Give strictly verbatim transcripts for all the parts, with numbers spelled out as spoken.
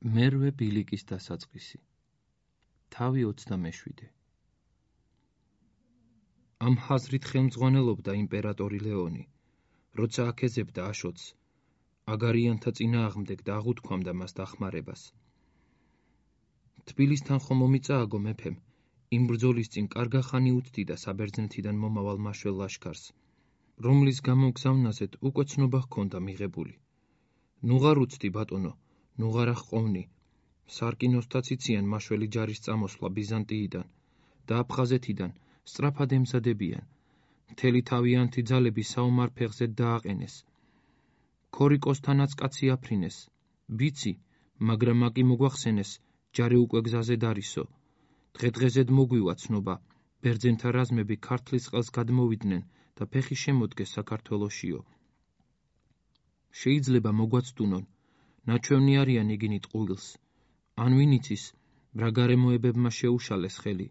მერვე ბილიკის დასაწყისი. თავი ოცდამეშვიდე. ამ ხაზრით ხელმძღვანელობდა იმპერატორი ლეონი, როცა აქეზებდა აშოტს, აგარიანთა წინააღმდეგ და აღუთქვამდა მას დახმარებას. თბილისთან ხომ მომიწააგო მეფემ, იმ ბრძოლის წინ კარგა ხანი უცდიდა საბერძნეთიდან მომავალ მაშველ ლაშქარს, რომლის გამოგზავნაზედ უკვე ცნობა ჰქონდა მიღებული. ნუღარ უცდი ბატონო, ნუღარ აღყოვნი, სარკინოსთაც იციან მაშველი ჯარის წამოსვლა ბიზანტიიდან და აფხაზეთიდან სწრაფად ემზადებიან. მთელი თავიანთი ძალები საომარ ფეხზე დააყენეს. ქორიკოსთანაც კაცი აფრინეს. ვიცი, მაგრამ მაკი მოგვახსენეს, ჯარი უკვე გზაზე დარისო. დღე-დღეზედ მოგვივა ცნობა, ბერძენთა რაზმები ქართლის ყელს გადმოვიდნენ და ფეხი შემოდგეს საქართველოშიო. შეიძლება მოგვაცდუნონ, ნაჩვენი არიან იგინით ყუილს. ან ვინ იცის, რა გარემოებებმა შეუშალეს ხელი.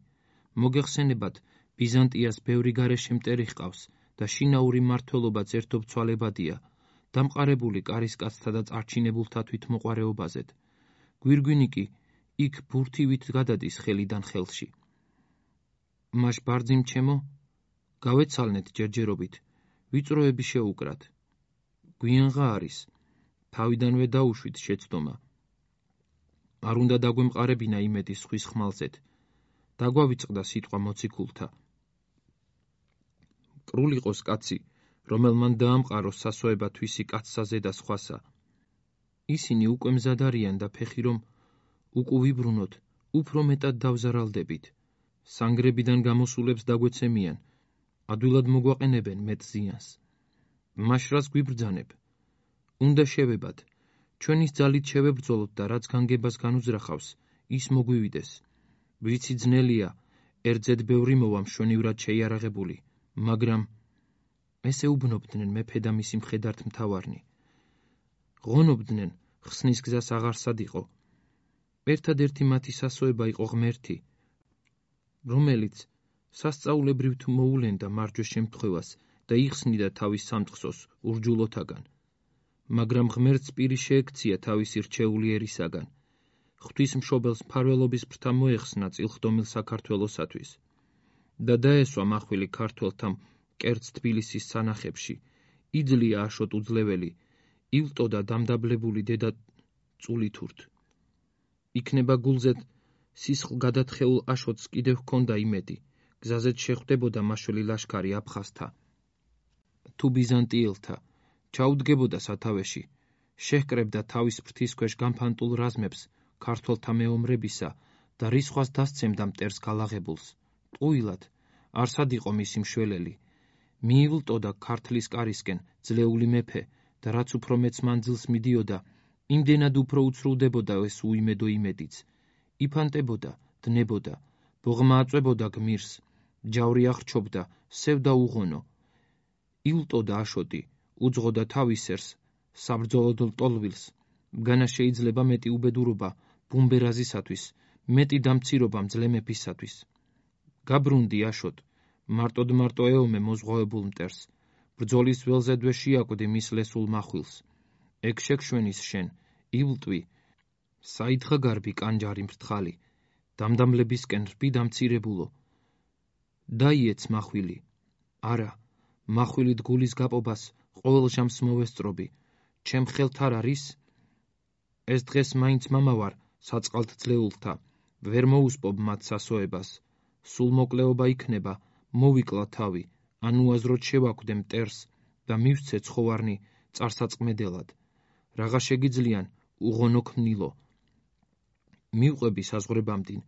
მოგეხსენებათ, ბიზანტიას ბევრი გარეშე მტერი ჰყავს და შინაური მმართველობაც ერთობცვალებადია, დამყარებული კარისკაცთა და წარჩინებულთა თვითმოყვარეობაზედ. გვირგვინი კი იქ ბურთივით გადადის ხელიდან ხელში. მაშ ბარძიმ ჩემო, გავეცალნეთ ჯერჯერობით, ვიწროები შეუკრათ. გვიანღა არის, თავიდანვე დაუშვით შეცდომა. არ უნდა დაგვემყარებინა იმედი სხვის ხმალზეთ. დაგვავიწყდა სიტყვა მოციქულთა. კრულიყოს კაცი, რომელმან დაამყაროს სასოება თვისი კაცსაზე და სხვასა. ისინი უკვე მზად არიან და ფეხი რომ უკუვიბრუნოთ, უფრო მეტად დავზარალდებით. სანგრებიდან გამოსულებს დაგვეცემიან, ადვილად მოგვაყენებენ მეტ ზიანს. მაშ რას გვიბრძანებ? უნდა შევებად, ჩვენის ძალით შევებრძოლოთ და რაც განგებას განუძრახავს, ის მოგვივიდეს. ვიცი ძნელია, ერთზედ ბევრი მოვა მშვენივრად შეიარაღებული, მაგრამ ესე უბნობდნენ მეფე და მისი მხედართ მთავარნი. ღონობდნენ, ხსნის გზას აღარ სადიყო. ერთადერთი მათი სასოება იყო ღმერთი, რომელიც სასწაულებრივ თუ მოულენდა მარჯვე შემთხვევას და იხსნიდა თავის სამწყსოს ურჯულოთაგან. მაგრამ ღმერთს პირი შეექცია თავისი რჩეული ერისაგან. ღვთისმშობელს მფარველობის ფრთა მოეხსნა წილხდომილ საქართველოსათვის და დაესვა მახვილი ქართველთა მკერდს თბილისის სანახებში. იძლია აშოტ უძლეველი, ილტოდა დამდაბლებული დედა წულითურთ. იქნება გულზედ სისხლ გადათხეულ აშოტს კიდევ ჰქონდა იმედი, გზაზეც შეხვდებოდა მაშველი ლაშქარი აფხაზთა თუ ბიზანტიელთა, ჩაუდგებოდა სათავეში, შეჰკრებდა თავის ფრთის ქვეშ განფანტულ რაზმებს ქართველთა მეომრებისა და რისხვას დასცემდა მტერს გალაღებულს. ტყუილად, არსად იყო მისი მშველელი. მიილტოდა ქართლის კარისკენ ძლეული მეფე და რაც უფრო მეც მანძილს მიდიოდა, იმდენად უფრო უცრულდებოდა ეს უიმედო იმედიც. იფანტებოდა, დნებოდა, ბოღმა აწვებოდა გმირს, ჯავრი აღრჩობდა, სევდა უღონო. ილტოდა აშოტი, უძღოდა თავისერს, საბრძოლოდ ლტოლვილს. განა შეიძლება მეტი უბედურობა ბუმბერაზისათვის, მეტი დამცირობა მძლე მეფისათვის. გაბრუნდი აშოტ, მარტოდ მარტო ეომე მოზღვავებულ მტერს. ბრძოლის ველზედვე შეაკვდი მის ლესულ მახვილს. ეგ შეგშვენის შენ, ილტვი, საითხა გარბი კანჯარი მრთხალი, დამდამლებისკენ რბი დამცირებულო. დაიეც მახვილი, არა, მახვილი დგულის გაპობას ყოველ ჟამს მოვესწრობი, ჩემ ხელთ არ არის? ეს დღეს მაინც მამავარ საწყალთ ძლეულთა, ვერ მოუსპობ მათ სასოებას. სულ მოკლეობა იქნება, მოვიკლა თავი, ან უაზროდ შევაკვდე მტერს და მივსცე ცხოვარნი წარსაწყმედელად. რაღა შეგიძლიან, უღონო ქმნილო. მივყვები საზღვრებამდინ,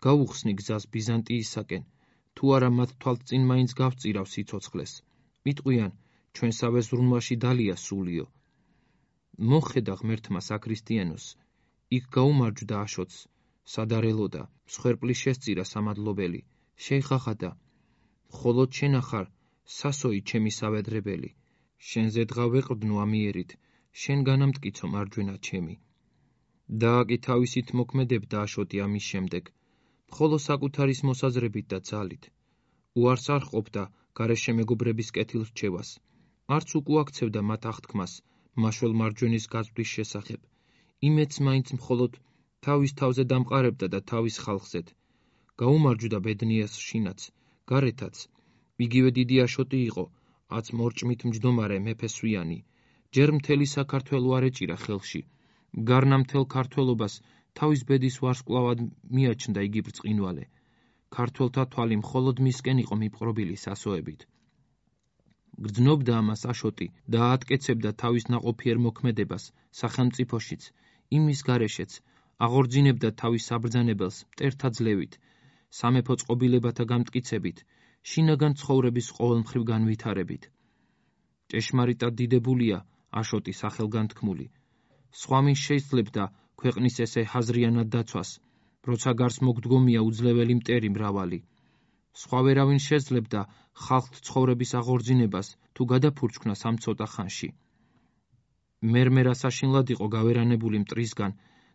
გაუხსნი გზას ბიზანტიისაკენ, თუ არა მათ თვალთ წინ მაინც გავწირავ სიცოცხლეს. მიტყვიან, ჩვენსავე ზრუნვაში დალია სულიო. მოხედა ღმერთმა საქრისტიანოს, იქ გაუმარჯვდა აშოტს, სადარელოდა, მსხვერპლი შესწირა სამადლობელი, შეიხახადა. მხოლოდ შენ ახარ, სასოი ჩემი სავედრებელი, შენზე დღა ვეყრდნო ამიერით, შენ განამტკიცო მარჯვენა ჩემი. დააკი თავისით მოქმედებდა აშოტი ამის შემდეგ, მხოლო საკუთარის მოსაზრებით და ძალით. უარს არ ყოფდა გარეშე მეგობრების კეთილრჩევას, არც უკუაქცევდა მათ აღთქმას მაშველ მარჯვენის გაწვდის შესახებ. იმედს მაინც მხოლოდ თავის თავზე დამყარებდა და თავის ხალხზედ. გაუმარჯვდა ბედნიას შინაც, გარეთაც. იგივე დიდი აშოტი იყო, აც მორჭმით მჯდომარე მეფესვიანი. ჯერ მთელი საქართველო არ ეჭირა ხელში. გარნა მთელ ქართველობას თავის ბედის ვარსკვლავად მიაჩნდა იგი ბრწყინვალე. ქართველთა თვალი მხოლოდ მისკენ იყო მიპყრობილი სასოებით. გრძნობდა ამას აშოტი და აატკეცებდა თავის ნაყოფიერ მოქმედებას სახელმწიფოშიც, იმის გარეშეც, აღორძინებდა თავის საბრძანებელს მტერთა ძლევით, სამეფო წყობილებათა გამტკიცებით, შინაგან ცხოვრების ყოველმხრივ განვითარებით. ჭეშმარიტად დიდებულია აშოტი სახელგანთქმული. სხვა მის შეისძლებდა ქვეყნის ესე ჰაზრიანად დაცვას, როცა გარს მოგდგომია უძლეველი მტერი მრავალი. სხვა ვერავინ შეძლებდა ხალხთ ცხოვრების აღორძინებას თუ გადაფურჩქნას ამ ცოტა ხანში. მერმერა საშინლად იყო გავერანებული მტრისგან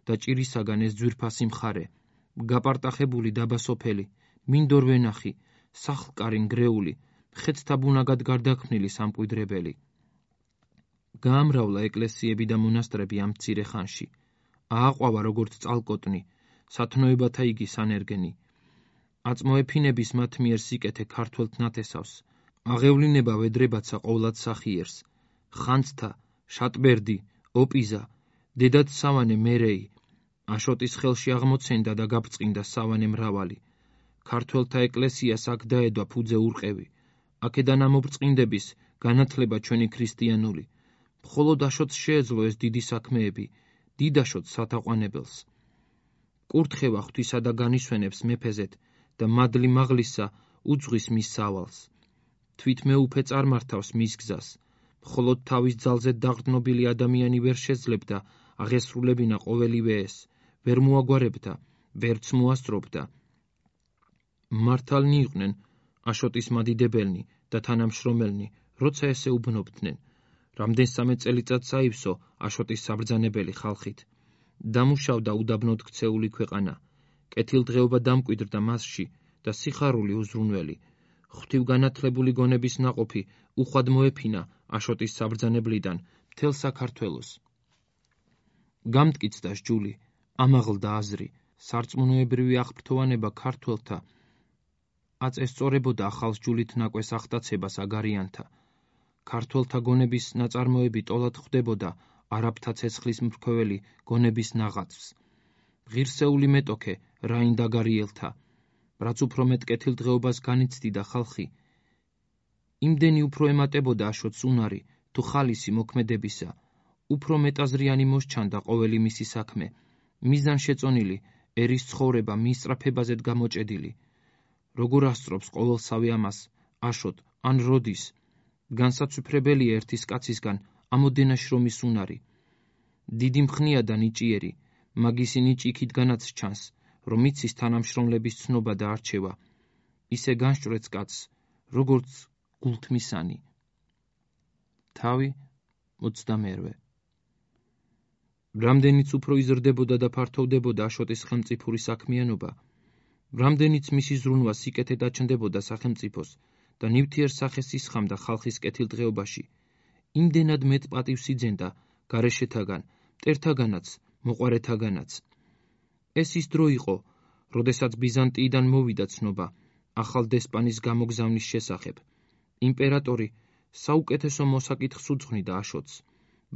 და ჭირისაგან ეს ძვირფასი მხარე, გაპარტახებული დაბა სოფელი, მინდორ ვენახი, სახლკარი ნგრეული, ხეთთა ბუნაგად გარდაქმნილი სამკვიდრებელი. გაამრავლა ეკლესიები და მონასტრები ამ მცირე ხანში. ააყვავა როგორც წალკოტნი, სათნოებათა იგი სანერგენი. აწმოეფინების მათ მიერ სიკეთე ქართველთ ნათესავს. აღევლინება ვედრებაცა ყოვლად სახიერს. ხანძთა, შატბერდი, ოპიზა, დედად სავანე მერეი. აშოტის ხელში აღმოცენდა და გაბრწყინდა სავანე მრავალი. ქართველთა ეკლესიას აქ დაედვა ფუძე ურყევი. აქედან ამობრწყინდების განათლება ჩვენი ქრისტიანული. მხოლოდ აშოტს შეეძლო ეს დიდი საქმეები, დიდ აშოტს სათაყვანებელს. კურთხევა ღვთისა და განისვენებს მეფეზეთ და მადლი მაღლისა უძღვის მის სავალს. თვით მეუფე წარმართავს მის გზას. მხოლოდ თავის ძალზე დაღრდნობილი ადამიანი ვერ შეძლებდა აღესრულებინა ყოველივე ეს, ვერ მოაგვარებდა, ვერც მოასწრობდა. მართალნი იყვნენ აშოტის მადიდებელნი და თანამშრომელნი, როცა ესე უბნობდნენ. რამდენსამე წელიწადს აივსო აშოტის საბრძანებელი ხალხით. დამუშავდა უდაბნოდ ქცეული ქვეყანა. კეთილდღეობა დამკვიდრდა მასში და სიხარული უზრუნველი. ღვთივგანათლებული გონების ნაყოფი უხვად მოეფინა აშოტის საბრძანებლიდან მთელ საქართველოს. გამტკიცდა სჯული, ამაღლდა აზრი, სარწმუნოებრივი აღფრთოვანება ქართველთა აც ესწორებოდა ახალ სჯულით ნაკვეს ახტაცებას აგარიანთა. ქართველთა გონების ნაწარმოები ტოლად ხვდებოდა არაბთა ცეცხლის მრქვეველი გონების ნაღაცს. ღირსეული მეტოქე რაინ დაგარიელთა, რაც უფრო მეტ კეთილდღეობას განიცდიდა ხალხი, იმდენი უფრო ემატებოდა აშოტს უნარი თუ ხალისი მოქმედებისა, უფრო მეტაზრიანი მოსჩანდა ყოველი მისი საქმე, მიზანშეწონილი ერის ცხოვრება მის სწრაფებაზედ გამოჭედილი. როგორ ასწრობს ყოველსავე ამას აშოტ ან როდის, განსაცვიფრებელია ერთის კაცისგან ამოდენა შრომის უნარი. დიდი მხნია და ნიჭიერი, მაგისი ნიჭი იქითგანაც ჩანს, რომ იცის თანამშრომლების ცნობა და არჩევა. ისე განსჭვრეტს კაცს, როგორც გულთმისანი. თავი ოცდამერვე. რამდენიც უფრო იზრდებოდა და ფართოვდებოდა აშოტის ხელმწიფური საქმიანობა, რამდენიც მისი ზრუნვა სიკეთე დაჩნდებოდა სახელმწიფოს და ნივთიერ სახეს ისხამდა ხალხის კეთილდღეობაში, იმდენად მეტ პატივს იძენდა გარეშეთაგან, მტერთაგანაც, მოყვარეთაგანაც. ეს ის დრო იყო, როდესაც ბიზანტიიდან მოვიდა ცნობა ახალ დესპანის გამოგზავნის შესახებ. იმპერატორი საუკეთესო მოსაკითხს უძღვნიდა აშოტს.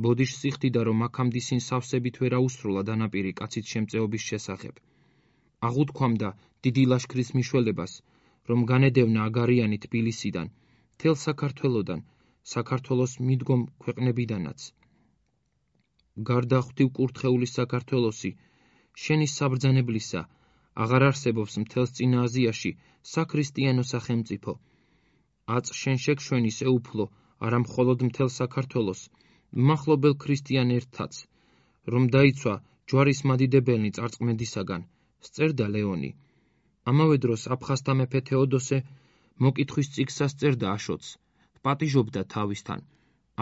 ბოდიშს იხდიდა, რომ აქამდისინ სავსებით ვერ აუსრულა დანაპირი კაცის შემწეობის შესახებ. აღუთქვამდა დიდი ლაშქრის მიშველებას, რომ განედევნა აგარიანი თბილისიდან, მთელ საქართველოდან, საქართველოს მიდგომ ქვეყნებიდანაც. გარდა ღვთივკურთხეული საქართველოსი, შენი საბრძანებლისა, აღარ არსებობს მთელს წინა აზიაში საქრისტიანო სახელმწიფო. აწ შენ შეგშვენი ეუფლო, არა მხოლოდ მთელ საქართველოს, მახლობელ ქრისტიან ერთაც, რომ დაიცვა ჯვარის მადიდებელნი წარწმენდისაგან, სწერდა ლეონი. ამავე დროს აფხაზთა მეფე თეოდოსე მოკითხვის წიგნს ასწერდა აშოტს, პატიჟობდა თავისთან,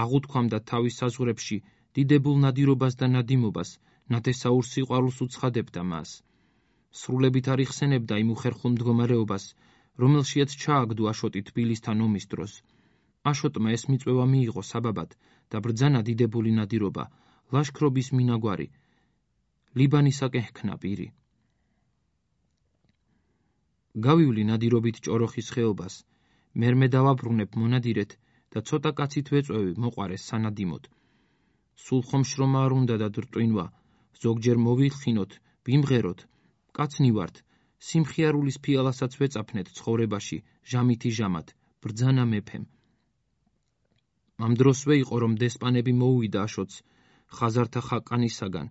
აღუთქვამდა თავის საზღვრებში დიდებულ ნადირობას და ნადიმობას, ნათესაურ სიყვარულს უცხადებდა მას. სრულებით არ იხსენებდა იმ უხერხულ მდგომარეობას, რომელშიაც ჩააგდო აშოტი თბილისთან ომის დროს. აშოტმა ეს მიწვევა მიიღო საბაბად და ბრძანა დიდებული ნადირობა, ლაშქრობის მინაგვარი. ლიბანისაკენ ჰქნა პირი. გავივლი ნადირობით ჭოროხის ხეობას, მერმე დავაბრუნებ მონადირეთ და ცოტა კაცით ვეწვევი მოყარეს სანადიმოდ. სულ ხომ შრომა არ უნდა და დრტვინვა, ზოგჯერ მოვიხინოთ, ვიმღეროთ, კაცნი ვართ, სიმხიარულის ფიალასაც ვეწაფნეთ ცხოვრებაში, ჟამითი ჟამად, ბრძანა მეფემ. ამ დროსვე იყო, რომ დესპანები მოუვიდა აშოტს ხაზართა ხაკანისაგან.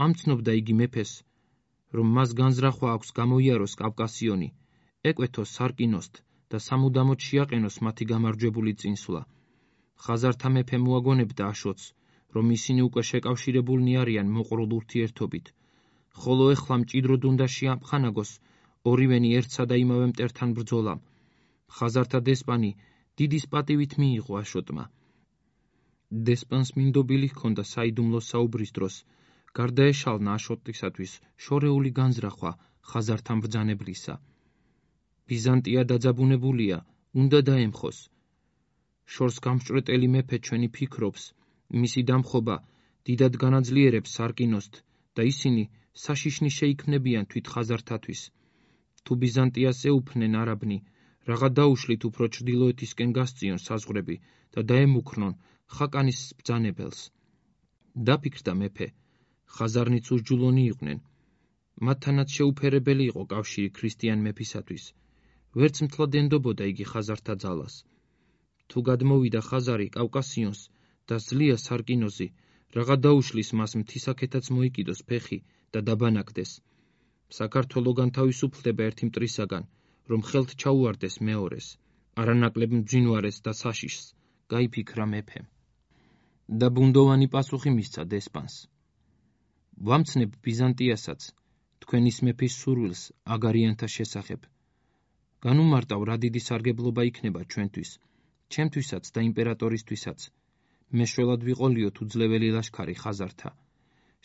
ამცნობდა იგი მეფეს, რომ მას განზრახვა აქვს გამოიაროს კავკასიონი, ეკვეთოს სარკინოსთ და სამუდამოდ შეაყენოს მათი გამარჯვებული წინსვლა. ხაზართა მეფე მოაგონებდა აშოტს, რომ ისინი უკვე შეკავშირებულნი არიან მოყრულ ურთიერთობით, ხოლო ეხლა მჭიდროდ უნდა შეამხანაგოს ორივენი ერთსა და იმავე მტერთან ბრძოლამ. ხაზართა დესპანი დიდის პატივით მიიღო აშოტმა. დესპანს მინდობილი ჰქონდა საიდუმლო საუბრის დროს, გარდაეშალნა აშოტისათვის შორეული განზრახვა ხაზართან ბრძანებლისა. ბიზანტია დაძაბუნებულია, უნდა დაემხოს. შორს გამჭვრეტელი მეფე ჩვენი ფიქრობს, მისი დამხობა დიდად განაძლიერებს სარკინოსთ და ისინი საშიშნი შეიქმნებიან თვით ხაზართათვის. თუ ბიზანტიას ეუფნენ არაბნი, რაღა დაუშლით უფრო ჩრდილოეთისკენ გასწიონ საზღვრები და დაემუქრნონ ხაკანის ბრძანებელს. დაფიქრდა მეფე, ხაზარნიც უსჯულონი იყვნენ. მათთანაც შეუფერებელი იყო კავშირი ქრისტიან მეფისათვის. ვერც მთლად ენდობოდა იგი ხაზართა ძალას. თუ გადმოვიდა ხაზარი კავკასიონს და ზლია სარკინოზი, რაღა დაუშლის მას მთისაკეთაც მოიკიდოს ფეხი და დაბანაკდეს. საქართველო განთავისუფლდება ერთი მტრისაგან, რომ ხელთ ჩაუვარდეს მეორეს, არანაკლებ მძვინვარეს და საშიშს, გაიფიქრა მეფემ. და ბუნდოვანი პასუხი მისცა დესპანს. ვამცნებ ბიზანტიასაც, თქვენის მეფის სურვილს აგარიანთა შესახებ. განუმარტავ რა დიდი სარგებლობა იქნება ჩვენთვის, ჩემთვისაც და იმპერატორისთვისაც. მეშველად ვიყოლიოთ უძლეველი ლაშქარი ხაზართა.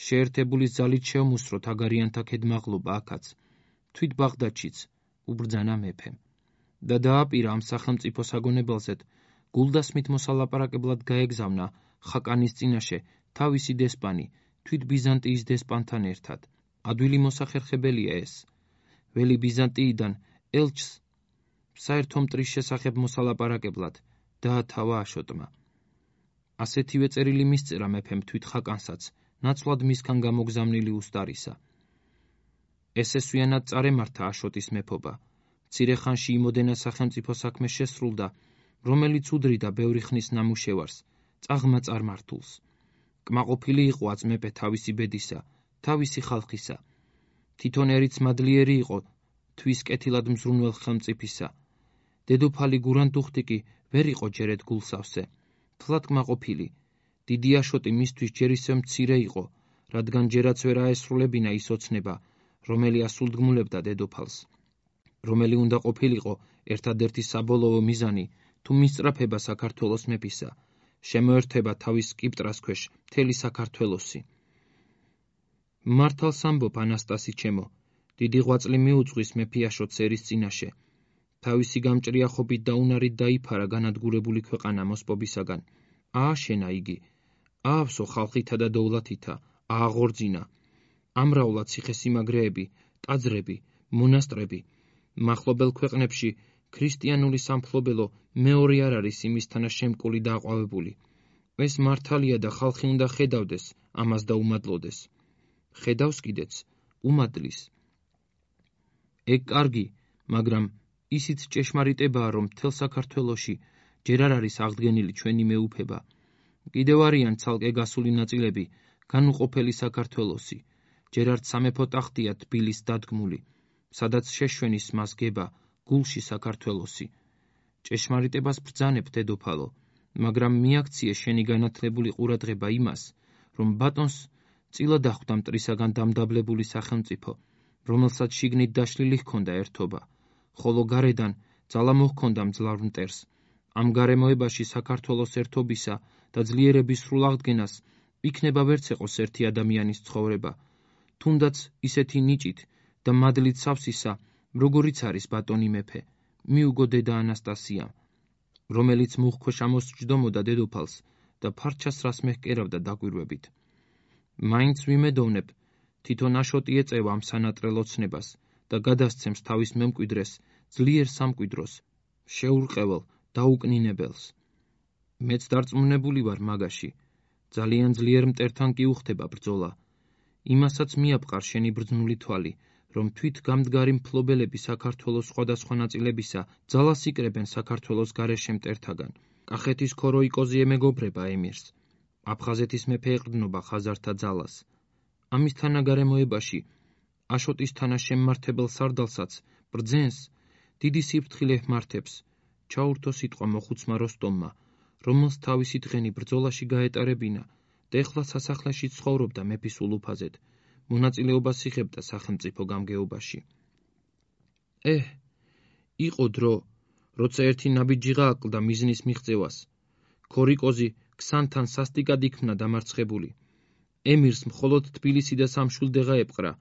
შეერთებული ძალით შევმუსროთ აგარიანთა ქედმაღლობა აქაც, თვით ბაღდადშიც, უბრძანა მეფემ. და დააპირა ამ სახელმწიფო საგონებელზედ გულდასმით მოსალაპარაკებლად გაეგზავნა ხაკანის წინაშე თავისი დესპანი, თვით ბიზანტიის დესპანთან ერთად. ადვილი მოსახერხებელია ეს. ველი ბიზანტიიდან ელჩს საერთო მტრის შესახებ მოსალაპარაკებლად დაათავა აშოტმა. ასეთივე წერილი მისწერა მეფემ თვით ხაკანსაც, ნაცვლად მისგან გამოგზავნილი უსტარისა. ესესვიანად წარემართა აშოტის მეფობა. მცირე ხანში იმოდენა სახელმწიფო საქმე შესრულდა, რომელიც უდრიდა ბევრი ხნის ნამუშევარს, წაღმა წარმართულს. კმაყოფილი იყო აც მეფე თავისი ბედისა, თავისი ხალხისა. თვითონ ერიც მადლიერი იყო თვის კეთილად მზრუნველ ხელმწიფისა. დედოფალი გურანდუხტი კი ვერ იყო ჯერეთ გულსავსე, თლად კმაყოფილი. დიდი აშოტი მისთვის ჯერ ისევ მცირე იყო, რადგან ჯერაც ვერ აესრულებინა ის ოცნება, რომელი ასულდგმულებდა დედოფალს. რომელი უნდა ყოფილიყო ერთადერთი საბოლოო მიზანი, თუ მისწრაფება საქართველოს მეფისა, შემოერთება თავის სკიპტრას ქვეშ მთელი საქართველოსი. მართალს ამბობ, ანასტასი ჩემო, დიდი ღვაწლი მიუძღვის მეფე აშოტს ერის წინაშე. თავისი გამჭრიახობით და უნარით დაიფარა განადგურებული ქვეყანა მოსპობისაგან. ააშენა იგი, აავსო ხალხითა და დოვლათითა, ააღორძინა. ამრავლა ციხესიმაგრეები, ტაძრები, მონასტრები. მახლობელ ქვეყნებში ქრისტიანული სამფლობელო მეორე არ არის იმისთანა შემკული და აყვავებული. ეს მართალია და ხალხი უნდა ხედავდეს ამას და უმადლოდეს. ხედავს კიდეც, უმადლის. ეგ კარგი, მაგრამ ისიც ჭეშმარიტებაა, რომ მთელ საქართველოში ჯერ არ არის აღდგენილი ჩვენი მეუფება. კიდევ არიან ცალკე გასული ნაწილები, განუყოფელი საქართველოსი, ჯერ არც სამეფო ტახტია თბილის დადგმული, სადაც შეშვენის მას გება გულში საქართველოსი. ჭეშმარიტებას ბრძანებ, დედოფალო, მაგრამ მიაქციე შენი განათლებული ყურადღება იმას, რომ ბატონს წილად ახვდა მტრისაგან დამდაბლებული სახელმწიფო, რომელსაც შიგნით დაშლილი ჰქონდა ერთობა, ხოლო გარედან ძალა მოჰქონდა მძლავრ მტერს. ამ გარემოებაში საქართველოს ერთობისა და ძლიერების სრულ აღდგენას იქნება ვერც ეყოს ერთი ადამიანის ცხოვრება, თუნდაც ისეთი ნიჭით და მადლით სავსისა, როგორიც არის ბატონი მეფე, მიუგო დედა ანასტასიამ, რომელიც მუხქვეშ ამოსჯდომოდა დედოფალს და ფარჩას რას მეჰკერავდა დაკვირვებით. მაინც ვიმედოვნებ, თვითონ აშოტი ეწევა ამ სანატრელ ოცნებას და გადასცემს თავის მემკვიდრეს ძლიერ სამკვიდროს, შეურყეველ, დაუკნინებელს. მეც დარწმუნებული ვარ მაგაში, ძალიან ძლიერ მტერთან კი უხდება ბრძოლა. იმასაც მიაპყარ შენი ბრძნული თვალი, რომ თვით გამდგარი მფლობელები საქართველოს სხვადასხვა ნაწილებისა ძალას იკრებენ საქართველოს გარეშე მტერთაგან. კახეთის ქოროიკოზი ემეგობრება ემირს. აფხაზეთის მეფე ეყრდნობა ხაზართა ძალას. ამის თანაგარემოებაში აშოტის თანაშემმართებელ სარდალსაც ბრძენს დიდი სიფრთხილე ჰმართებს, ჩაურთო სიტყვა მოხუცმა როსტომმა, რომელს თავისი დღენი ბრძოლაში გაეტარებინა და ეხლა სასახლეში ცხოვრობდა მეფის ულუფაზედ, მონაწილეობას იღებდა სახელმწიფო გამგეობაში. ეჰ, იყო დრო, როცა ერთი ნაბიჯიღა აკლდა მიზნის მიღწევას. ქორიკოზი ქსანთან სასტიკად იქმნა დამარცხებული. ემირს მხოლოდ თბილისი და სამშვილდეღა ეპყრა.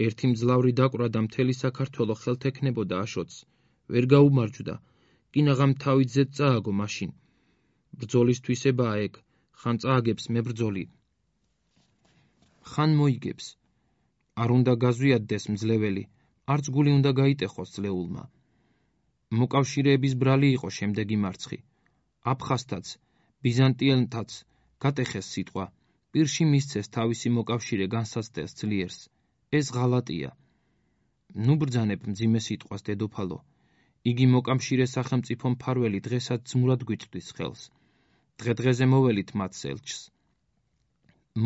ერთი მძლავრი დაკვրա და მთელი საქართველო ხელთ ექნებოდა აშოტს. ვერ გაუმარჯვდა, კინაღამ თავით ზედ წააგო მაშინ. ბრძოლის თვისებაა ეგ, ხან წააგებს მებრძოლი, ხან მოიგებს. არ უნდა გაზვიადდეს მძლეველი, არც გული უნდა გაიტეხოს ძლეულმა. მოკავშირეების ბრალი იყო შემდეგი მარცხი. აფხაზთაც, ბიზანტიელთაც გატეხეს სიტყვა, პირში მისცეს თავისი მოკავშირე განსაცდელს ძლიერს. ეს ღალატია. ნუ ბრძანებ მძიმე სიტყვას დედოფალო. იგი მოკავშირე სახელმწიფო მფარველი დღესაც ძმურად გვიწვდის ხელს. დღე-დღეზე მოველით მათ ელჩს.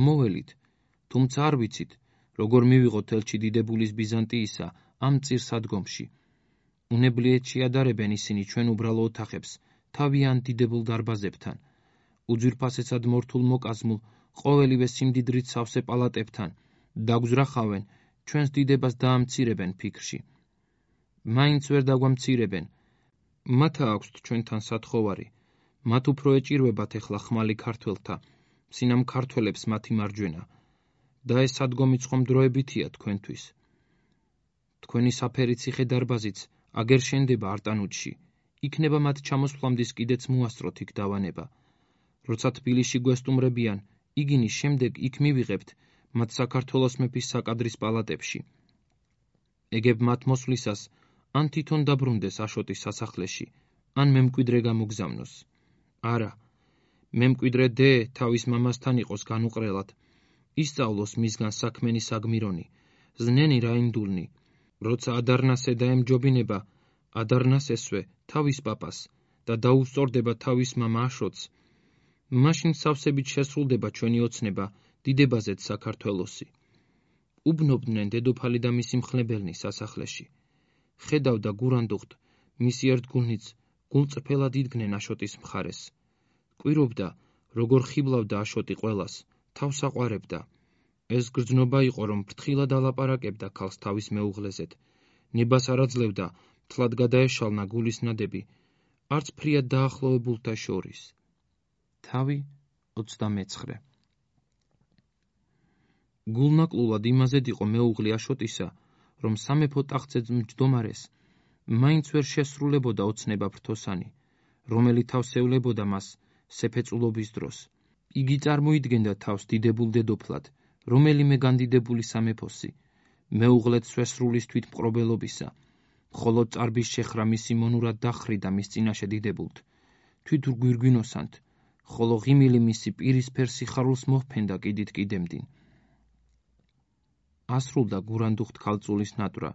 მოველით, თუმცა არ ვიცით, როგორ მივიღოთ ელჩი დიდებულის ბიზანტიისა ამ წირსადგომში. უნებლიეთ შეადარებენ ისინი ჩვენ უბრალო ოთახებს, თავიან დიდებულ დარბაზებთან, უძვირფასესად მორთულ მოკაზმულ, ყოველივე სიმდიდრით სავსე პალატებთან, დაგვზრახავენ, ჩვენს დიდებას დაამცირებენ ფიქრში. მაინც ვერ დაგვამცირებენ. მათა აქვთ ჩვენთან სათხოვარი, მათ უფრო ეჭირვებათ ეხლა ხმალი ქართველთა, სინამ ქართველებს მათი მარჯვენა. და ეს სადგომი ცხომდროებითია თქვენთვის. თქვენი საფერი ციხე დარბაზიც აგერ შენდება არტანუჯში, იქნება მათ ჩამოსვლამდის კიდეც მოასწროთ იქ დავანება. როცა თბილისში გვესტუმრებიან, იგინის შემდეგ იქ მივიღებთ მათ საქართველოს მეფის საკადრის პალატებში. ეგებ მათ მოსვლისას ან თვითონ დაბრუნდეს აშოტის სასახლეში, ან მემკვიდრე გამოგზავნოს. არა, მემკვიდრე დე თავის მამასთან იყოს განუყრელად, ისწავლოს მისგან საქმენი საგმირონი, ზნენი რაინდულნი. როცა ადარნასე დაემჯობინება, ადარნასესვე თავის პაპას და დაუსწორდება თავის მამა აშოტს, მაშინ სავსებით შესრულდება ჩვენი ოცნება დიდებაზეც საქართველოსი. უბნობდნენ დედოფალი და მისი მხლებელნი სასახლეში. ხედავდა გურანდუხტ, მისი ერთგულნიც გულწრფელად იდგნენ აშოტის მხარეს. კვირობდა, როგორ ხიბლავდა აშოტი ყველას, თავს აყვარებდა. ეს გრძნობა იყო, რომ ფრთხილად ალაპარაკებდა ქალს თავის მეუღლეზედ. ნებას არ აძლევდა, თლად გადაეშალნა გულის ნადები, არც ფრიად დაახლოებულთა შორის. თავი ოცდამეცხრე. გულნაკლულად იმაზედ იყო მეუღლე აშოტისა, რომ სამეფო ტახტზე მჯდომარეს მაინც ვერ შესრულებოდა ოცნება ფრთოსანი, რომელი თავს ევლებოდა მას სეფეწულობის დროს. იგი წარმოიდგენდა თავს დიდებულ დედოფლად, რომელიმე განდიდებული სამეფოსი, მეუღლეთ სვესრულის თვითმპყრობელობისა, მხოლოდ წარბის შეხრა მისი მონურად დახრიდა მის წინაშე დიდებულთ, თვით გვირგვინოსანთ, ხოლო ღიმილი მისი პირისფერ სიხარულს მოჰფენდა კიდით კიდემდინ. ასრულდა გურანდუხტ ქალწულის ნატრა.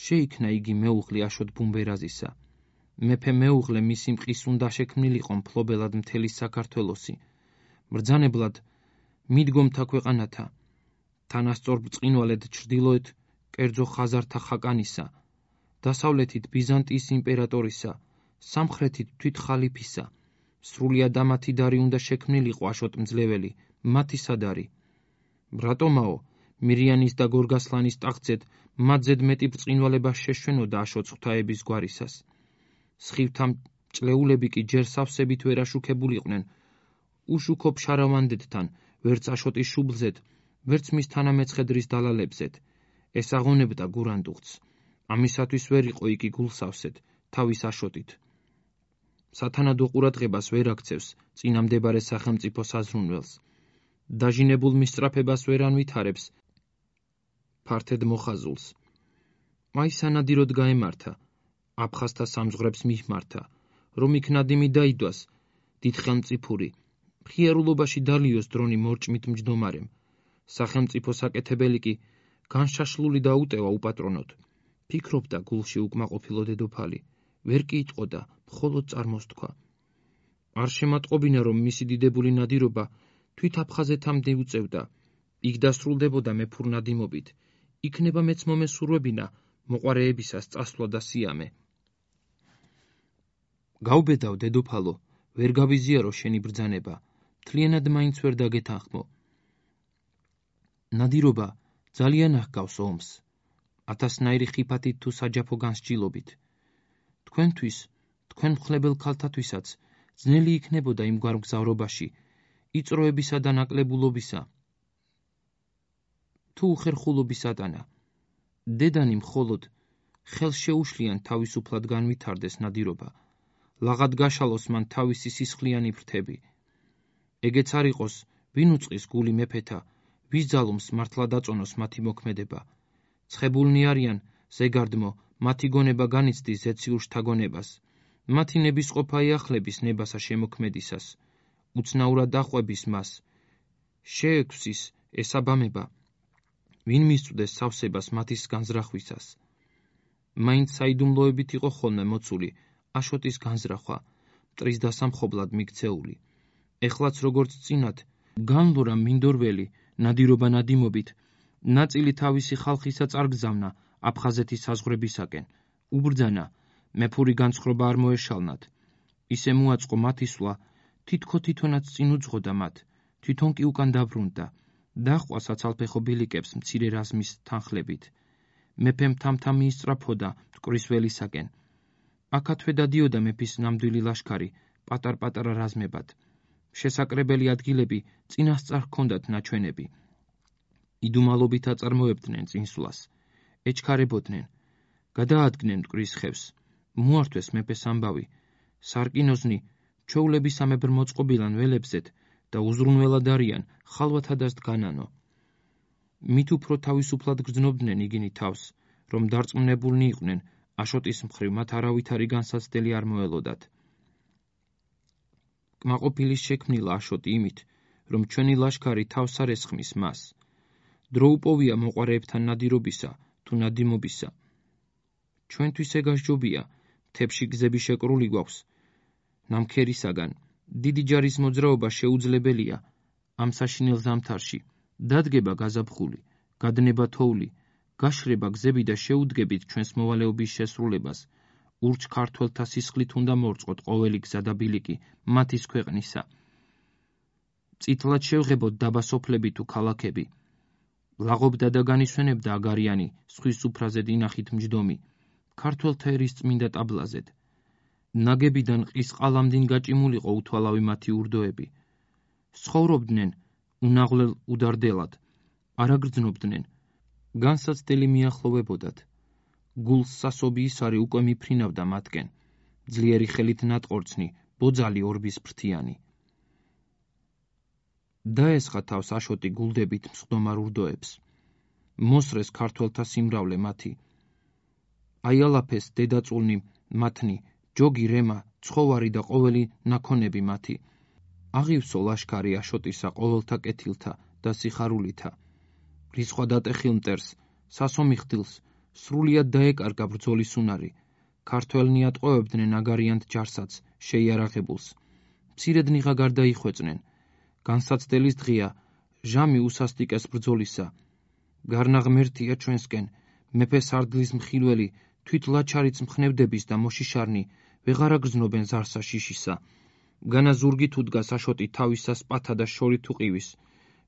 შეიქმნა იგი მეუღლე აშოტ ბუმბერაზისა. მეფე მეუღლე მისი მყის უნდა შექმნილიყო მფლობელად მთელი საქართველოსი. მბრძანებლად მიდგომთა ქვეყანათა, თანასწორ ბრწყინვალედ ჩრდილოეთ კერძო ხაზართა ხაკანისა, დასავლეთით ბიზანტიის იმპერატორისა, სამხრეთით თვით ხალიფისა, სრულიად ამათი დარი უნდა შექმნილიყო აშოტ მძლეველი, მათი სადარი. რატომაო, მირიანის და გორგასლანის ტახტზედ მათზედ მეტი ბრწყინვალება შეშვენოდა აშოტს ღვთაების გვარისას. სხივთა მჭლეულები კი ჯერ სავსებით ვერ აშუქებულიყვნენ, უშუქო ფშარავანდეთთან, ვერც აშოტის შუბლზედ, ვერც მის თანამეცხედრის დალალებზედ. ეს აღონებდა გურანდუხტს. ამისათვის ვერ იყო იგი გულსავსედ, თავის აშოტით. სათანადო ყურადღებას ვერ აქცევს წინამდებარე სახელმწიფო საზრუნველს. დაჟინებულ მისწრაფებას ვერ ანვითარებს, ფართედ მოხაზულს. აი სანადიროდ გაემართა, აფხაზთა სამზღვრებს მიჰმართა, რომ იქ ნადიმი დაიდვას, დიდხელმწიფური, მხიარულობაში დალიოს დრონი მორჭმით მჯდომარემ, სახელმწიფო საკეთებელი კი განშაშლული დაუტევა უპატრონოდ. ფიქრობდა გულში უკმაყოფილო დედოფალი, ვერ კი იტყოდა, მხოლოდ წარმოს თქვა. არ შემატყობინა, რომ მისი დიდებული ნადირობა თვით აფხაზეთამდე უწევდა, იქ დასრულდებოდა მეფურნადიმობით, იქნება მეც მომესურვებინა მოყვარეებისას წასვლა და სიამე. გაუბედავ დედოფალო, ვერ გავიზიარო შენი ბრძანება, მთლიანად მაინც ვერ დაგეთანხმო. ნადირობა ძალიან აღგავს ომს, ათასნაირი ხიფათით თუ საჯაფო განსჯილობით. თქვენთვის, თქვენ მხლებელ ქალთათვისაც ძნელი იქნებოდა იმგვარ მგზავრობაში, იწროებისა და ნაკლებულობისა, თუ უხერხულობისატანა. დედანი მხოლოდ ხელს შეუშლიან თავისუფლად განვითარდეს ნადირობა, ლაღად გაშალოს მან თავისი სისხლიანი ფრთები. ეგეც არ იყოს, ვინ უწყის გული მეფეთა, ვის ძალობს მართლა დაწონოს მათი მოქმედება. ცხებულნი არიან, ზეგარდმო, მათი გონება განიცდის ზეციურ შთაგონებას, მათი ნებისყოფა ეახლების ნებასა შემოქმედისას, უცნაურად აყვების მას, შეექვსის ესაბამება, ვინ მისწვდეს სავსებას მათის განზრახვისას. მაინც საიდუმლოებით იყო ხოლმე მოცული აშოტის განზრახვა, მტრის დასამხობლად მიქცეული. ეხლაც როგორც წინათ, განლურა მინდორველი ნადირობა ნადიმობით, ნაწილი თავისი ხალხისა წარგზავნა აფხაზეთის საზღვრებისაკენ, უბრძანა, მეფური განცხრობა არ მოეშალნათ. ისე მოაწყო მათი სვლა, თითქო თვითონაც წინ უძღოდა მათ, თვითონ კი უკან დაბრუნდა, დაჰყვა საცალფეხო ბილიკებს მცირე რაზმის თანხლებით. მეფემ თამთამ მიისწრაფოდა მტკვრის ველისაკენ. აქათვე დადიოდა მეფის ნამდვილი ლაშქარი, პატარ-პატარა რაზმებად. შესაკრებელი ადგილები წინასწარ ჰქონდათ ნაჩვენები. იდუმალობით აწარმოებდნენ წინსვლას, ეჩქარებოდნენ, გადაადგნენ მტკვრის ხევს, მოართვეს მეფეს ამბავი, სარკინოზნი ჩვეულებისამებრ მოწყობილან ველებზეთ და უზრუნველად არიან ხალვათადას დგანანო. მით უფრო თავისუფლად გრძნობდნენ იგინი თავს, რომ დარწმუნებულნი იყვნენ აშოტის მხრივ მათ არავითარი განსაცდელი არ მოელოდათ. კმაყოფილის შექმნილა აშოტი იმით, რომ ჩვენი ლაშქარი თავს არ ესხმის მას. დრო უპოვია მოყვარეებთან ნადირობისა თუ ნადიმობისა. ჩვენთვის ეგასჯობია, მთებში გზები შეკრული გვაქვს, ნამქერისაგან, დიდი ჯარის მოძრაობა შეუძლებელია ამ საშინელ ზამთარში, დადგება გაზაფხული, გადნება თოვლი, გაშრება გზები და შეუდგებით ჩვენს მოვალეობის შესრულებას, ურჩ ქართველთა სისხლით უნდა მორწყოთ ყოველი გზა და ბილიკი მათის ქვეყნისა. წითლად შევღებოთ დაბა სოფლები თუ ქალაქები. ლაღობდა და განისვენებდა აგარიანი, ზღვის სუფრაზე დინახით მჯდომი, ქართველთა ერის წმინდა ტაბლაზედ. ნაგებიდან ყის ყალამდინ გაჭიმულიყო უთვალავი მათი ურდოები. ცხოვრობდნენ უნაღვლელ უდარდელად, არ აგრძნობდნენ, განსაცდელი მიახლოვებოდათ. გულს სასობი ისარი უკვე მიფრინავდა მათკენ, ძლიერი ხელით ნატყორცნი, ბოძალი ორბის ფრთიანი. დაესხა თავს აშოტი გულდებით მსხდომარ ურდოებს. მოსრეს ქართველთა სიმრავლე მათი. აიალაფეს დედაწულნი მათნი, ჯოგი რემა, ცხოვარი და ყოველი ნაქონები მათი. აღივსო ლაშქარი აშოტისა ყოველთა კეთილთა და სიხარულითა. რისხვა დატეხილ მტერს, სასომი ხდილს, სრულიად დაეკარგა ბრძოლის უნარი. ქართველნი ატყვევებდნენ აგარიანთ ჯარსაც, შეიარაღებულს. მცირედნიღა გარდაიხვეწნენ. განსაცდელის დღეა, ჟამი უსასტიკეს ბრძოლისა. გარნა ღმერთია ჩვენსკენ, მეფე სარდლის მხილველი, თვით ლაჩარიც მხნევდების და მოშიშარნი, ვეღარ აგრძნობენ ზარსა შიშისა. განა ზურგი თუ დგას აშოტი თავისა სპათა და შორი თუ ყივის,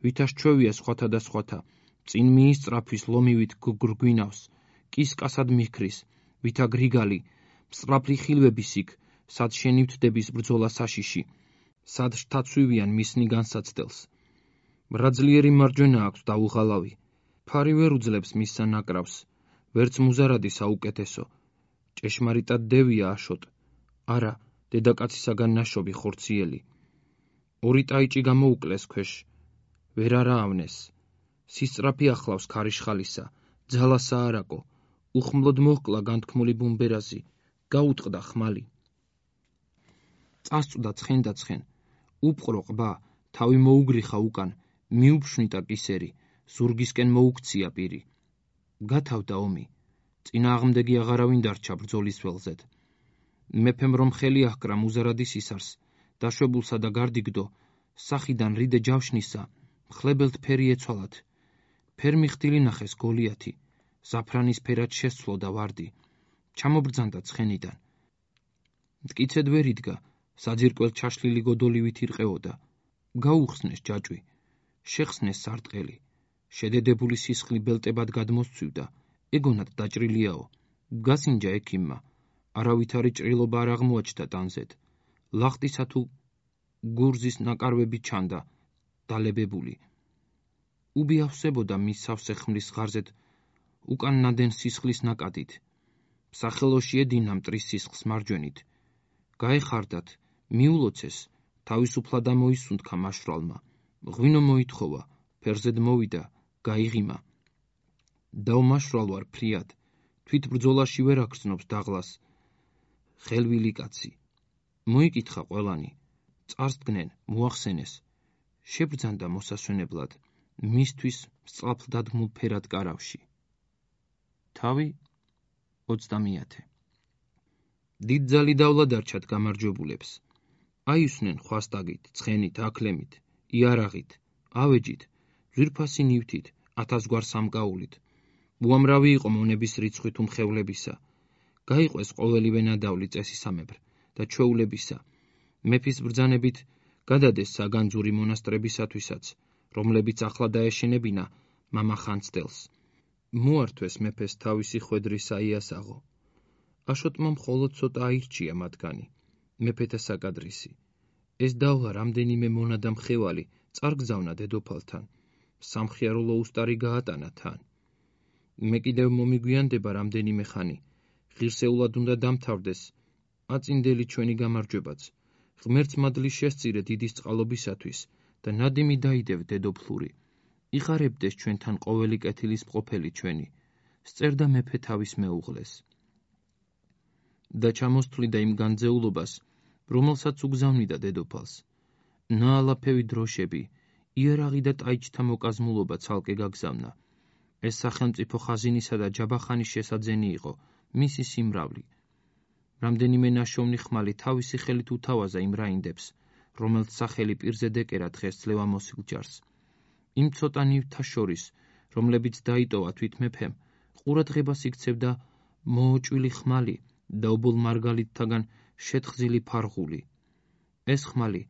ვითა შჩევია სხვათა და სხვათა, წინ მიისწრაფვის ლომივით გრგვინავს, კის კასად მიქრის, ვითა გრიგალი, მსწრაფლი ხილვების იქ, სად შენივთდების ბრძოლა საშიში, სად შთაცვივიან მისნი განსაცდელს. მრაძლიერი მარჯვენა აქვს დაუღალავი, ფარი ვერ უძლებს მისსა ნაკრავს, ვერც მუზარადი საუკეთესო, ჭეშმარიტად დევია აშოტ, არა, დედაკაცისაგან ნაშობი ხორციელი. ორი ტაიჭი გამოუკლეს ქვეშ, ვერ არა ავნეს. სისწრაფი ახლავს ქარიშხალისა, ძალა საარაკო, უხმლოდ მოჰკლა განთქმული ბუმბერაზი, გაუტყდა ხმალი. წასწვდა ცხენ და ცხენ, უპყრო ყბა, თავი მოუგრიხა უკან, მიუფშვნიტა კისერი, ზურგისკენ მოუქცია პირი. გათავდა ომი, წინააღმდეგი აღარავინ დარჩა ბრძოლის ველზედ. მეფემ რომ ხელი აჰკრა მუზარადის ისარს, დაშვებულსა და გარდიგდო, სახიდან რიდე ჯავშნისა, მხლებელთ ფერი ეცვალათ. ფერმიხდილი ნახეს გოლიათი, ზაფრანის ფერად შესცვლოდა ვარდი, ჩამობრძანდა ცხენიდან. მტკიცედ ვერ იდგა, საძირკველთ ჩაშლილი გოდოლივით ირყეოდა. გაუხსნეს ჯაჭვი, შეხსნეს სარტყელი, შედედებული სისხლი ბელტებად გადმოსცვივდა, ეგონად დაჭრილიაო, გასინჯა ექიმმა, არავითარი ჭრილობა არ აღმოაჩნდა ტანზედ, ლახტისა თუ გურზის ნაკარვები ჩანდა, დალებებული. უბი ავსებოდა მის სავსე ხმლის ღარზეთ, უკან ნადენ სისხლის ნაკადით. სახელოში ედინა მტრის სისხლს მარჯვენით. გაეხარდათ, მიულოცეს, თავისუფლად ამოისუნთქა მაშვრალმა. ღვინო მოითხოვა, ფერზედ მოვიდა, გაიღიმა. დავმაშვრალ ვარ ფრიად, თვით ბრძოლაში ვერ აგრძნობს დაღლას. ხელვილი კაცი. მოიკითხა ყველანი, წარს დგნენ, მოახსენეს. შებრძანდა მოსასვენებლად, მისთვის სწრაფ დადგმულ ფერად კარავში. თავი ოცდამეათე. დიდძალი დავლა დარჩათ გამარჯვებულებს. აისვნენ ხვასტაგით, ცხენით, აკლემით, იარაღით, ავეჯით, ძვირფასი ნივთით, ათასგვარ სამკაულით. უამრავი იყო მონების რიცხვით უმხევლებისა. გაიყვეს ყოველივე ნადავლი წესისამებრ და ჩვეულებისა. მეფის ბრძანებით გადადეს საგანძური მონასტრებისათვისაც, რომლებიც ახლა დაეშენებინა მამა ხანძთელს. მოართვეს მეფეს თავისი ხვედრი საიასაღო. აშოტმა მხოლოდ ცოტა აირჩია მათგანი, მეფეთა საკადრისი. ეს დავლა რამდენიმე მონა და მხევალი წარგზავნა დედოფალთან, სამხიარო უსტარი გაატანა თან. მე კიდევ მომიგვიანდება რამდენიმე ხანი, ღირსეულად უნდა დამთავრდეს აწინდელი ჩვენი გამარჯვებაც, ღმერთს მადლი შესწირე დიდის წყალობისათვის და ნადიმი დაიდევ დედოფლური. იხარებდეს ჩვენთან ყოველი კეთილის მყოფელი ჩვენი, სწერდა მეფე თავის მეუღლეს. და ჩამოსთვლიდა იმ განძეულობას, რომელსაც უგზავნიდა დედოფალს. ნაალაფევი დროშები, იარაღი და ტაიჩთა მოკაზმულობა ცალკე გაგზავნა. ეს სახელმწიფო ხაზინისა და ჯაბახანის შესაძენი იყო, მისი სიმრავლი. რამდენიმე ნაშოვნი ხმალი თავისი ხელით უთავაზა იმ რაინდებს, რომელთ სახელი პირზე დეკერა დღეს ძლევამოსილ ჯარს. იმ ცოტა ნივთთა შორის, რომლებიც დაიტოვა თვით მეფემ, ყურადღებას იქცევდა მოოჭვილი ხმალი და ობოლ მარგალიტთაგან შეთხზილი ფარღული. ეს ხმალი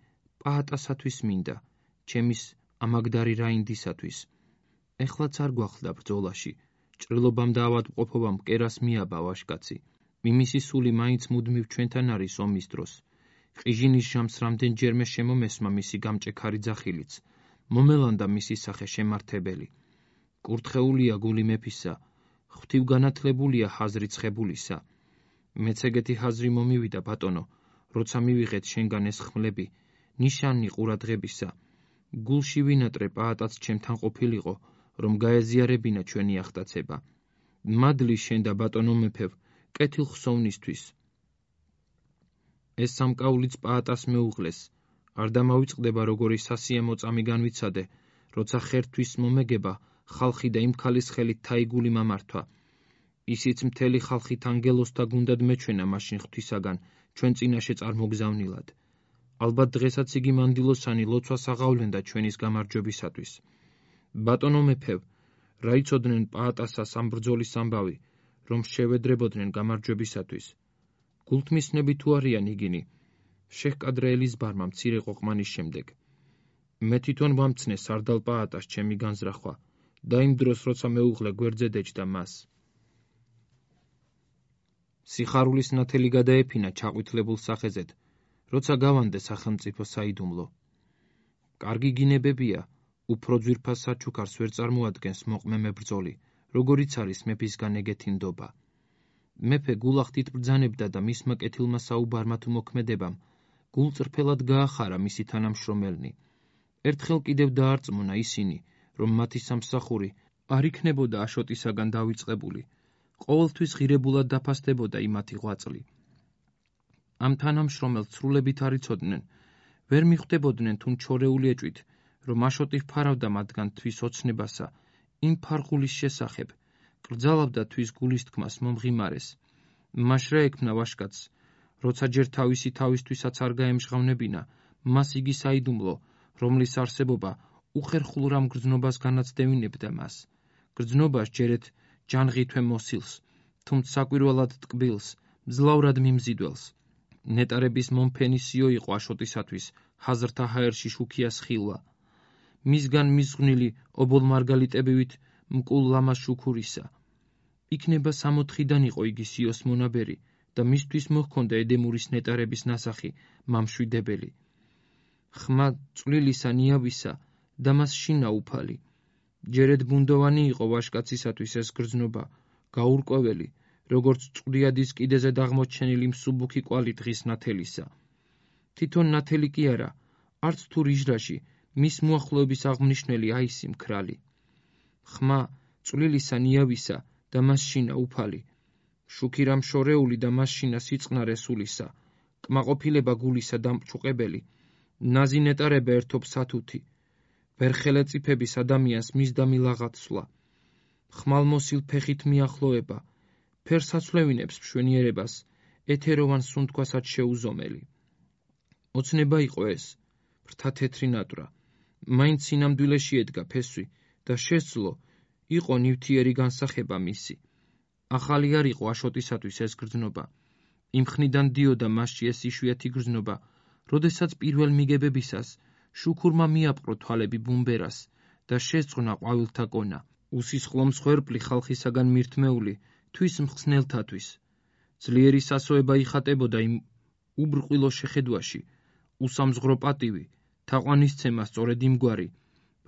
პაატასათვის მინდა, ჩემის ამაგდარი რაინდისათვის. ეხლაც არ გვახლდა ბრძოლაში, ჭრილობამ და ავადმყოფობამ კერას მიაბა ვაშკაცი. მიმისი სული მაინც მუდმივ ჩვენთან არის ომის დროს. ყიჟინის ჟამს რამდენჯერმე შემომესმა მისი გამჭექარი ძახილიც, მომელანდა მისი სახე შემართებელი. კურთხეულია გული მეფისა, ღვთივგანათლებულია ჰაზრი ცხებულისა. მეც ეგეთი ჰაზრი მომივიდა ბატონო, როცა მივიღეთ შენგან ეს ხმლები, ნიშანი ყურადღებისა. გულში ვინატრე პაატაც ჩემთან ყოფილიყო, რომ გაეზიარებინა ჩვენი ახტაცება. მადლი შენ და ბატონო მეფევ, კეთილ ხსოვნისთვის. ეს სამკაულიც პაატას მეუღლეს, არ დამავიწყდება როგორი სასიამო წამი განვიცადე, როცა ხერთვის მომეგება ხალხი და იმ ქალის ხელით თაიგული მამართვა. ისიც მთელი ხალხით ანგელოსთა გუნდად მეჩვენა მაშინ ღვთისაგან, ჩვენ წინაშე წარმოგზავნილად. ალბათ დღესაც იგი მანდილოსანი ლოცვას აღავლენდა ჩვენის გამარჯვებისათვის. ბატონო მეფევ, რა იცოდნენ პაატასას ამ ბრძოლის ამბავი, რომ შევედრებოდნენ გამარჯვებისათვის. გულთმისნები თუ არიან იგინი, შეჰკადრე ელიზბარმა მცირე ყოყმანის შემდეგ. მე თვითონ ვამცნე სარდალ პაატას ჩემი განზრახვა და იმ დროს როცა მეუღლე გვერდზე დეჯდა მას. სიხარულის ნათელი გადაეფინა ჩაყვითლებულ სახეზედ, როცა გავანდე სახელმწიფო საიდუმლო. კარგი გინებებია, უფრო ძვირფას საჩუქარს ვერ წარმოადგენს მოყმე მებრძოლი, როგორიც არის მეფისგან ეგეთი ნდობა. მეფე გულახდით ბრძანებდა და მისმა კეთილმა საუბარმა თუ მოქმედებამ, გულწრფელად გაახარა მისი თანამშრომელნი. ერთხელ კიდევ დაარწმუნა ისინი, რომ მათი სამსახური არ იქნებოდა აშოტისაგან დავიწყებული, ყოველთვის ღირებულად დაფასდებოდა იმათი ღვაწლი. ამ თანამშრომელს ცრულებით არ იცოდნენ, ვერ მიხვდებოდნენ თუ ჩორეული ეჭვით, რომ აშოტი ფარავდა მათგან თვის ოცნებასა, იმ ფარღულის შესახებ, კრძალავდა თვის გულისთქმას მომღიმარეს. მას რა ექმნა ვაშკაცს, როცა ჯერ თავისი თავისთვისაც არ გაემჟღავნებინა, მას იგი საიდუმლო, რომლის არსებობა უხერხულ რამ გრძნობას განაცდევინებდა მას. გრძნობას ჯერეთ ჯანღითვე მოსილს, თუმცა საკვირველად ტკბილს, მძლავრად მიმზიდველს. ნეტარების მომფენისიო იყო აშოტისათვის ჰაზრთა ჰაერში შუქიას ხილვა. მისგან მიზღვნილი ობოლმარგალიტებივით მკულ ლამას შუქურისა. იქნება სამოთხიდან იყო იგი სიოს მონაბერი და მისთვის მოჰქონდა ედემურის ნეტარების ნასახი მამშვიდებელი. ხმა წვლილისა ნიავისა და მას შინა უფალი. ჯერეთ ბუნდოვანი იყო ვაშკაცისათვის ეს გრძნობა, გაურკვეველი, როგორც წყვდიადის კიდეზე დაღმოჩენილი მსუბუქი კვალი დღის ნათელისა. თვითონ ნათელი კი არა, არც თუ რიჟრაში მის მოახლოების აღმნიშვნელი აისი მქრალი. ხმა წვლილისა ნიავისა და მას შინა უფალი. შუქირა მშორეული და მას შინა სიწყნარე სულისა. კმაყოფილება გულისა დამწუყებელი. ნაზი ნეტარება ერთობ სათუთი. ვერხელე წიფების ადამიანს მისდა მილაღაცვლა. ხმალმოსილ ფეხით მიახლოება. ფერსაცვლევინებს მშვენიერებას, ეთეროვან სუნთქვასაც შეუზომელი. ოცნება იყო ეს, ფრთა თეთრი ნატრა. მაინც სინამდვილეში ედგა ფესვი და შესძლო, იყო ნივთიერი განსახება მისი. ახალი არ იყო აშოტისათვის ეს გრძნობა. იმ ხნიდან დიოდა მასში ეს იშვიათი გრძნობა, როდესაც პირველ მიგებებისას შუქურმა მიაპყრო თვალები ბუმბერას და შეწყნა ყვავილთა კონა. უსისხლო მსხვერპლი ხალხისაგან მირთმეული თვის მხსნელთათვის. ძლიერი სასოება იხატებოდა იმ უბრყვილო შეხედვაში, უსამზღრო პატივი, თაყვანისცემა სწორედ იმგვარი,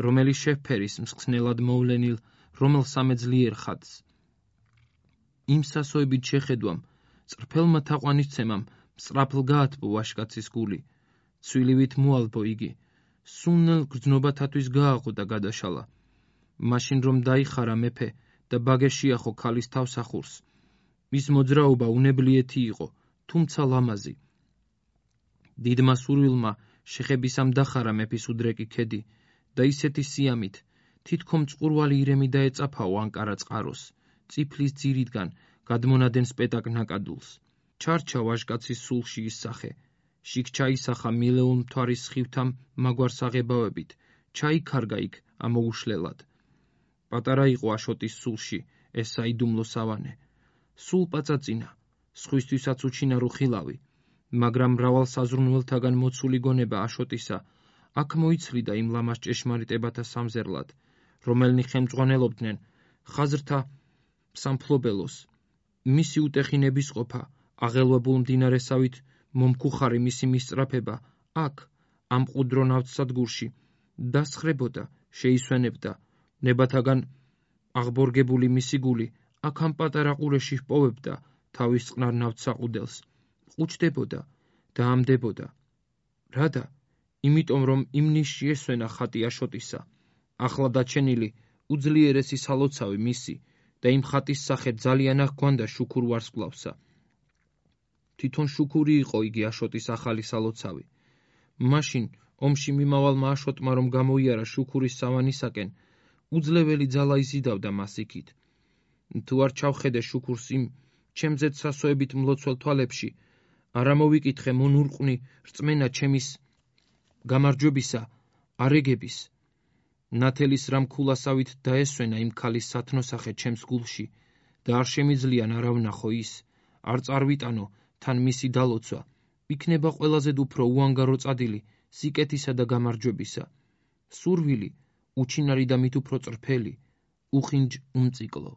რომელიც შეფერის მსხნელად მოვლენილ რომელსამე ძლიერ ხატს. იმ სასოებით შეხედვამ, წრფელმა თაყვანისცემამ სწრაფლ გაათბო ვაშკაცის გული. ცვილივით მოალბო იგი, სუნნელ გრძნობათათვის გააღო და გადაშალა. მაშინ რომ დაიხარა მეფე და ბაგე შეახო ქალის თავსახურს. მის მოძრაობა უნებლიეთი იყო, თუმცა ლამაზი. დიდმა სურვილმა შეხებისამ დახარა მეფის უდრეკი ქედი და ისეთი სიამით, თითქომ წყურვალი ირემი დაეწაფაო ანკარა წყაროს, წიფლის ძირიდან გადმონადენ სპეტაკ ნაკადულს. ჩარჩა ვაშკაცის სულში ის სახე, შიგ ჩაისახა მილეულ მთვარის სხივთან მაგვარ საღებავებით, ჩაიქარგა იქ ამოუშლელად. პატარა იყო აშოტის სულში ეს საიდუმლო სავანე. სულ პაწაწინა, სხვისთვისაც უჩინარო ხილავი, მაგრამ მრავალ საზრუნველთაგან მოცული გონება აშოტისა აქ მოიცლიდა იმ ლამას ჭეშმარიტებათა სამზერლად, რომელნი ხელმძღვანელობდნენ ხაზრთა სამფლობელოს. მისი უტეხინების ყოფა, აღელვებულ მდინარესავით მომქუხარი მისი მისწრაფება აქ, ამ მყუდრო ნავთსადგურში, დასხრებოდა, შეისვენებდა, ნებათაგან აღბორგებული მისი გული აქ ამ პატარა ყურეში ჰპოვებდა თავის წყნარ ნავთსაყუდელს, ყუჩდებოდა და ამდებოდა. რადა? იმიტომ რომ იმ ნიშში ესვენა ხატი აშოტისა, ახლა დაჩენილი უძლიერესი სალოცავი მისი და იმ ხატის სახე ძალიან აღგვანდა შუქურ ვარსკვლავსა. თვითონ შუქური იყო იგი აშოტის ახალი სალოცავი. მაშინ ომში მიმავალმა აშოტმა რომ გამოიარა შუქურის სავანისაკენ, უძლეველი ძალა იზიდავდა მას იქით. თუ არ ჩავხედე შუქურს იმ ჩემზეც სასოებით მლოცველ თვალებში, არ ამოვიკითხე მონურყვნი რწმენა ჩემის გამარჯვებისა, არეგების. ნათელის რამქულასავით დაესვენა იმ ქალის სათნოსახე ჩემს გულში და არ შემიძლია არ ავნახო ის, არ წარვიტანო თან მისი დალოცვა, იქნება ყველაზე უფრო უანგარო წადილი სიკეთისა და გამარჯვებისა. სურვილი, უჩინარი და მით უფრო წრფელი, უხინჯ უმწიკლო.